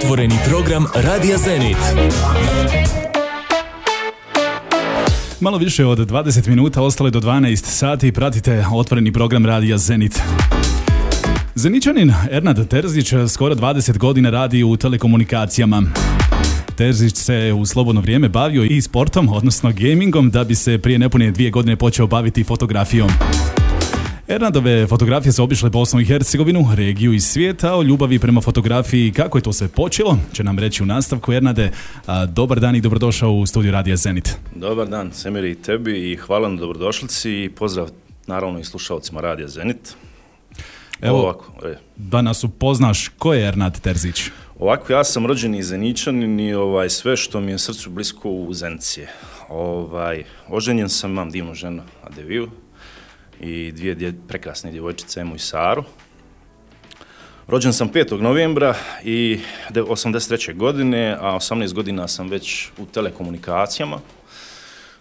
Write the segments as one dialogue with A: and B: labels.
A: Otvoreni program Radija Zenit. Malo više od 20 minuta, ostalo je do 12 sati, pratite otvoreni program Radija Zenit. Zeničanin Ernad Terzić skoro 20 godina radi u telekomunikacijama. Terzić se u slobodno vrijeme bavio i sportom, odnosno gamingom, da bi se prije nepune 2 godine počeo baviti fotografijom. Ernadove fotografije su obišle Bosnu i Hercegovinu, regiju i svijeta. O ljubavi prema fotografiji, kako je to sve počelo, će nam reći u nastavku. Ernade, dobar dan i dobrodošao u studiju Radija Zenit.
B: Dobar dan, Semir, i tebi i hvala na dobrodošlici i pozdrav naravno i slušalcima Radija Zenit.
A: Evo, ovako, da nas upoznaš, ko je Ernad Terzić?
B: Ovako, ja sam rođeni Zeničanin i sve što mi je srcu blisko u Zenici. Oženjen sam, imam divnu ženu Adeviju i 2 prekrasne djevojčice, Emu i Saru. Rođen sam 5. novembra i 83. godine, a 18 godina sam već u telekomunikacijama.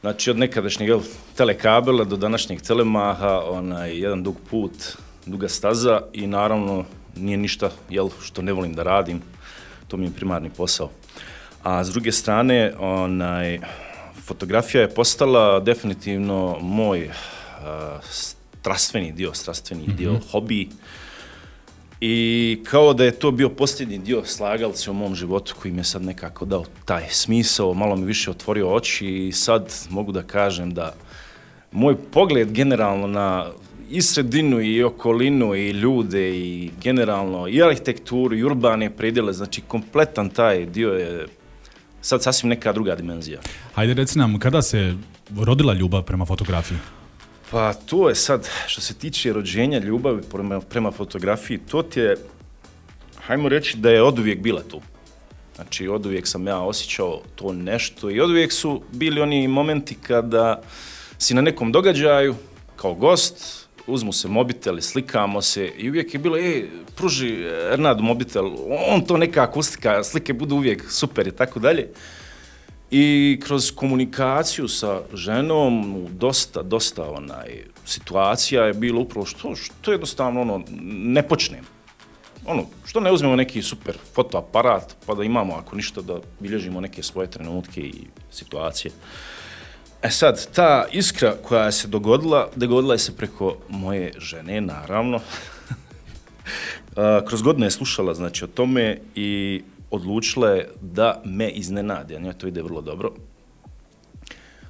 B: Znači od nekadašnjeg telekabela do današnjeg telemaha, jedan dug put, duga staza i naravno nije ništa što ne volim da radim, to mi je primarni posao. A s druge strane, fotografija je postala definitivno moj strastveni dio, hobi. I kao da je to bio posljednji dio slagalice u mom životu koji mi je sad nekako dao taj smisao, malo mi više otvorio oči i sad mogu da kažem da moj pogled generalno na i sredinu i okolinu i ljude i generalno i arhitekturu i urbane predjele, znači kompletan taj dio je sad sasvim neka druga dimenzija.
A: Hajde reci nam, kada se rodila ljubav prema fotografiji?
B: Pa to je sad, što se tiče rođenja ljubavi prema fotografiji, to ti je, hajmo reći da je oduvijek bila tu. Znači, oduvijek sam ja osjećao to nešto i oduvijek su bili oni momenti kada si na nekom događaju, kao gost, uzmu se mobitel i slikamo se i uvijek je bilo, pruži Ernadu mobitel, on to nekako uslika, slike budu uvijek super i tako dalje. I kroz komunikaciju sa ženom dosta situacija je bilo upravo što jednostavno ne počnem. Što ne uzmemo neki super fotoaparat pa da imamo ako ništa da bilježimo neke svoje trenutke i situacije. Sad, ta iskra koja se dogodila je se preko moje žene, naravno. Kroz godine je slušala o tome i odlučila je da me iznenadi, a njoj to ide vrlo dobro.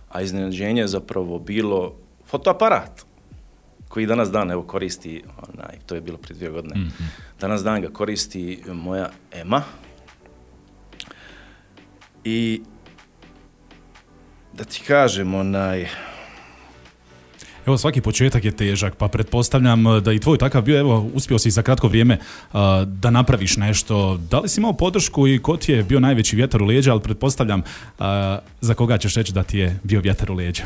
B: A iznenađenje je zapravo bilo fotoaparat koji danas dan koristi, to je bilo prije 2 godine, danas dan ga koristi moja Ema. I da ti kažem,
A: Evo, svaki početak je težak, pa pretpostavljam da i tvoj takav bio, evo, uspio si za kratko vrijeme da napraviš nešto. Da li si imao podršku i ko ti je bio najveći vjetar u leđa, ali pretpostavljam za koga ćeš reći da ti je bio vjetar u leđa?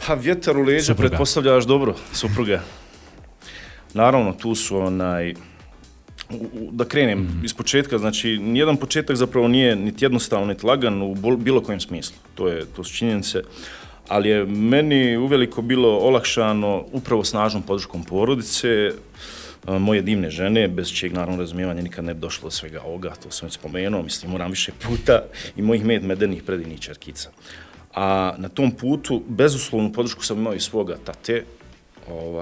B: Pa vjetar u leđa supruga. Pretpostavljaš dobro, supruga. Naravno, tu su da krenem iz početka, znači nijedan početak zapravo nije niti jednostavan, niti lagan u bilo kojem smislu. To su činjenice. Ali je meni uveliko bilo olakšano upravo snažnom podrškom porodice, moje divne žene, bez čijeg naravno razumijevanja nikad ne bi došlo do svega ovoga, to sam već spomenuo, moram više puta, i mojih medenih predivnih čerkica. A na tom putu bezuslovnu podršku sam imao i svoga tate,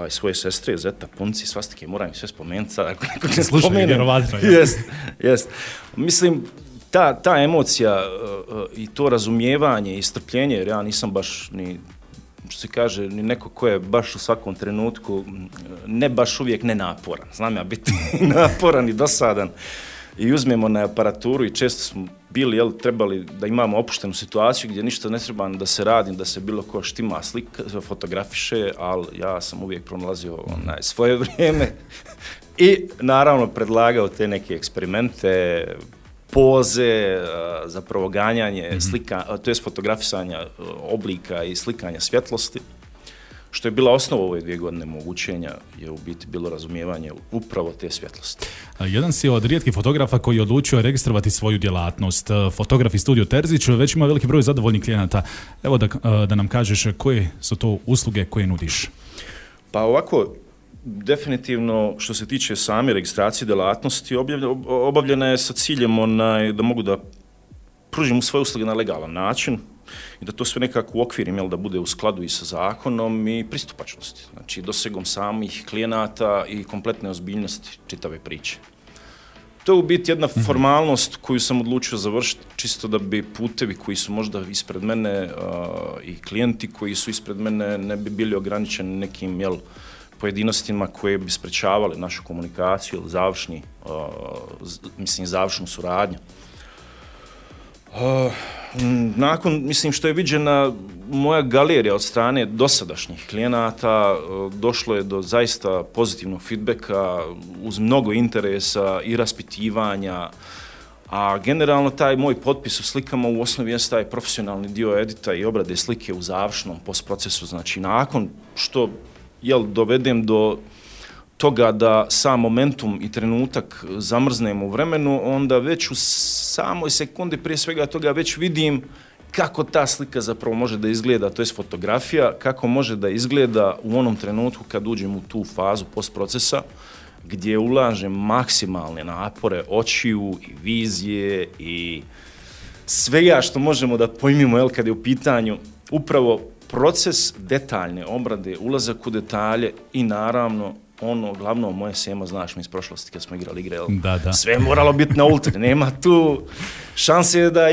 B: svoje sestre, zeta, punci, svastike, moram ih sve spomenuti sad, ako neko ne spomenem.
A: Vjerovatno.
B: Jest. Mislim, ta emocija i to razumijevanje i strpljenje, jer ja nisam baš ni, što se kaže, ni neko ko je baš u svakom trenutku ne baš uvijek nenaporan. Znam ja biti naporan i dosadan. I uzmemo na aparaturu i često smo bili, trebali da imamo opuštenu situaciju gdje ništa ne treba da se radi, da se bilo ko štima slika, fotografiše, ali ja sam uvijek pronalazio svoje vrijeme i naravno predlagao te neke eksperimente, poze, zapravo ganjanje slika, to jest fotografisanja oblika i slikanja svjetlosti, što je bila osnova ove 2 godine mog učenja, je u biti bilo razumijevanje upravo te svjetlosti.
A: Jedan si od rijetkih fotografa koji je odlučio registrovati svoju djelatnost. Fotograf iz Studio Terzić već ima veliki broj zadovoljnih klijenata. Evo da nam kažeš koje su to usluge koje nudiš.
B: Pa ovako, definitivno što se tiče same registracije djelatnosti obavljena je sa ciljem da mogu da pružim svoje usluge na legalan način i da to sve nekako uokvirim, da bude u skladu i sa zakonom i pristupačnosti. Znači, dosegom samih klijenata i kompletne ozbiljnosti čitave priče. To je u biti jedna formalnost koju sam odlučio završiti, čisto da bi putevi koji su možda ispred mene i klijenti koji su ispred mene ne bi bili ograničeni nekim pojedinostima koje bi sprečavali našu komunikaciju ili završnu suradnju. Nakon, što je viđena moja galerija od strane dosadašnjih klijenata, došlo je do zaista pozitivnog feedbacka uz mnogo interesa i raspitivanja, a generalno taj moj potpis u slikama u osnovi je taj profesionalni dio edita i obrade slike u završnom postprocesu. Znači, nakon što dovedem do toga da sam momentum i trenutak zamrznem u vremenu, onda već u samoj sekundi prije svega toga već vidim kako ta slika zapravo može da izgleda, to je fotografija, kako može da izgleda u onom trenutku kad uđem u tu fazu postprocesa, gdje ulažem maksimalne napore očiju i vizije i svega što možemo da pojmimo kad je u pitanju upravo proces detaljne obrade, ulazak u detalje i naravno glavno moje sema, znaš mi iz prošlosti kad smo igrali igre,
A: Da.
B: Sve je moralo biti na ultra, nema tu šanse da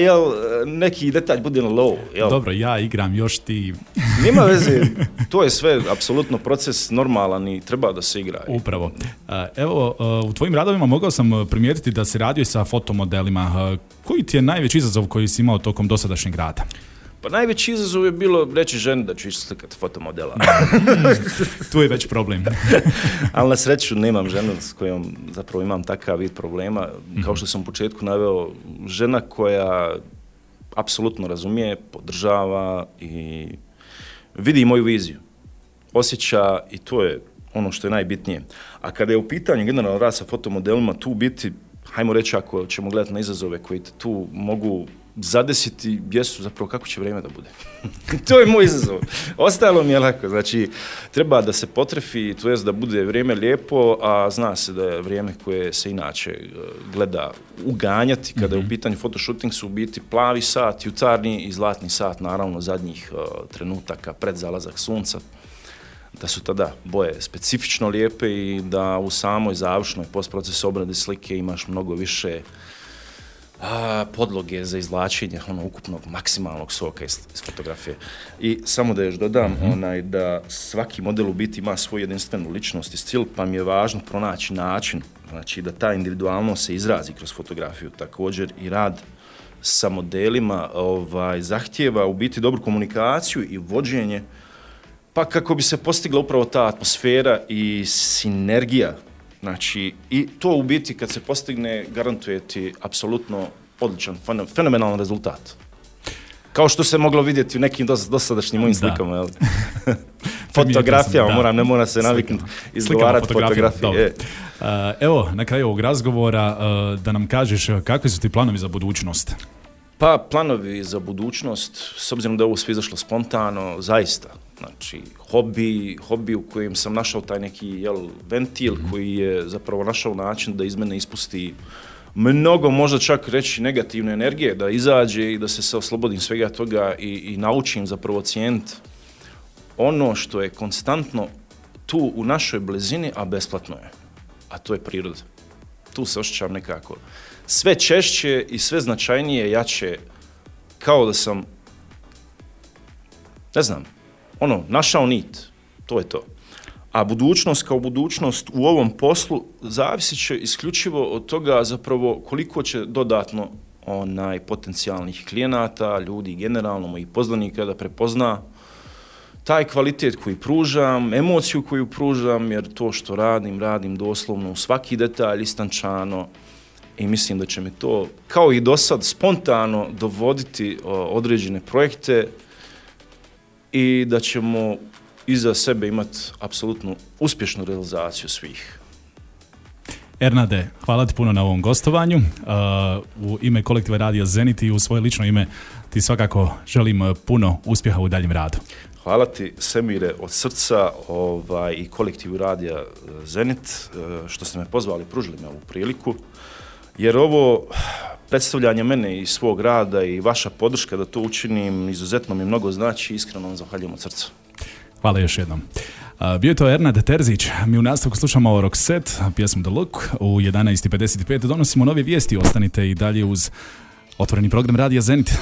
B: neki detalj bude na low.
A: Dobro, ja igram, još ti...
B: Nema veze, to je sve apsolutno proces normalan i treba da se igra.
A: Upravo. Evo, u tvojim radovima mogao sam primijetiti da si radio i sa fotomodelima. Koji ti je najveći izazov koji si imao tokom dosadašnjeg rada?
B: Pa najveći izazov je bilo reći ženi da ću ići slikati fotomodela.
A: Tu je već problem.
B: Ali na sreću nemam ženu s kojom zapravo imam takav vid problema. Kao što sam u početku naveo, žena koja apsolutno razumije, podržava i vidi moju viziju. Osjeća i to je ono što je najbitnije. A kada je u pitanju generalno rad sa fotomodelima, tu biti, hajmo reći ako ćemo gledati na izazove koji te tu mogu zadesiti, jesu zapravo kako će vrijeme da bude. To je moj izazov. Ostalo mi je lako. Znači, treba da se potrefi, to jest da bude vrijeme lijepo, a zna se da je vrijeme koje se inače gleda uganjati. Kada je u pitanju fotoshooting su u biti plavi sat, jutarnji i zlatni sat, naravno zadnjih trenutaka pred zalazak sunca. Da su tada boje specifično lijepe i da u samoj završnoj postprocesu obrade slike imaš mnogo više podloge za izvlačenje ukupnog maksimalnog soka iz fotografije. I samo da još dodam da svaki model u biti ima svoju jedinstvenu ličnost i stil, pa mi je važno pronaći način, znači da ta individualnost se izrazi kroz fotografiju. Također i rad sa modelima zahtijeva u biti dobru komunikaciju i vođenje, pa kako bi se postigla upravo ta atmosfera i sinergija. Znači, i to u biti kad se postigne garantuje ti apsolutno odličan, fenomenalan rezultat. Kao što se moglo vidjeti u nekim dosadašnjim mojim slikama. Fotografijama, ne mora se naviknuti izgovarati fotografije.
A: Evo, na kraju ovog razgovora da nam kažeš kakvi su ti planovi za budućnost?
B: Pa, planovi za budućnost, s obzirom da je ovo sve izašlo spontano, zaista. Znači, hobi u kojem sam našao taj neki ventil koji je zapravo našao način da iz mene ispusti mnogo, možda čak reći negativne energije, da izađe i da se oslobodim svega toga i naučim zapravo cijeniti ono što je konstantno tu u našoj blizini, a besplatno je. A to je priroda. Tu se osjećam nekako sve češće i sve značajnije, jače, kao da sam, ne znam, našao nit, to je to. A budućnost kao budućnost u ovom poslu zavisit će isključivo od toga zapravo koliko će dodatno potencijalnih klijenata, ljudi generalno, mojih poznanika da prepozna taj kvalitet koji pružam, emociju koju pružam, jer to što radim doslovno u svaki detalj istančano i mislim da će mi to, kao i do sad, spontano dovoditi određene projekte i da ćemo iza sebe imati apsolutnu uspješnu realizaciju svih.
A: Ernade, hvala ti puno na ovom gostovanju. U ime kolektiva Radija Zenit i u svoje lično ime ti svakako želim puno uspjeha u daljem radu.
B: Hvala ti, Semire, od srca i kolektivu Radija Zenit, što ste me pozvali, pružili me ovu priliku, jer ovo predstavljanje mene i svog rada i vaša podrška da to učinim izuzetno mi mnogo znači, iskreno vam zahvaljujem od srca.
A: Hvala još jednom. Bio je to Ernad Terzić, mi u nastavku slušamo Roxette, pjesmu The Look, u 11:55 donosimo nove vijesti, ostanite i dalje uz otvoreni program Radija Zenit.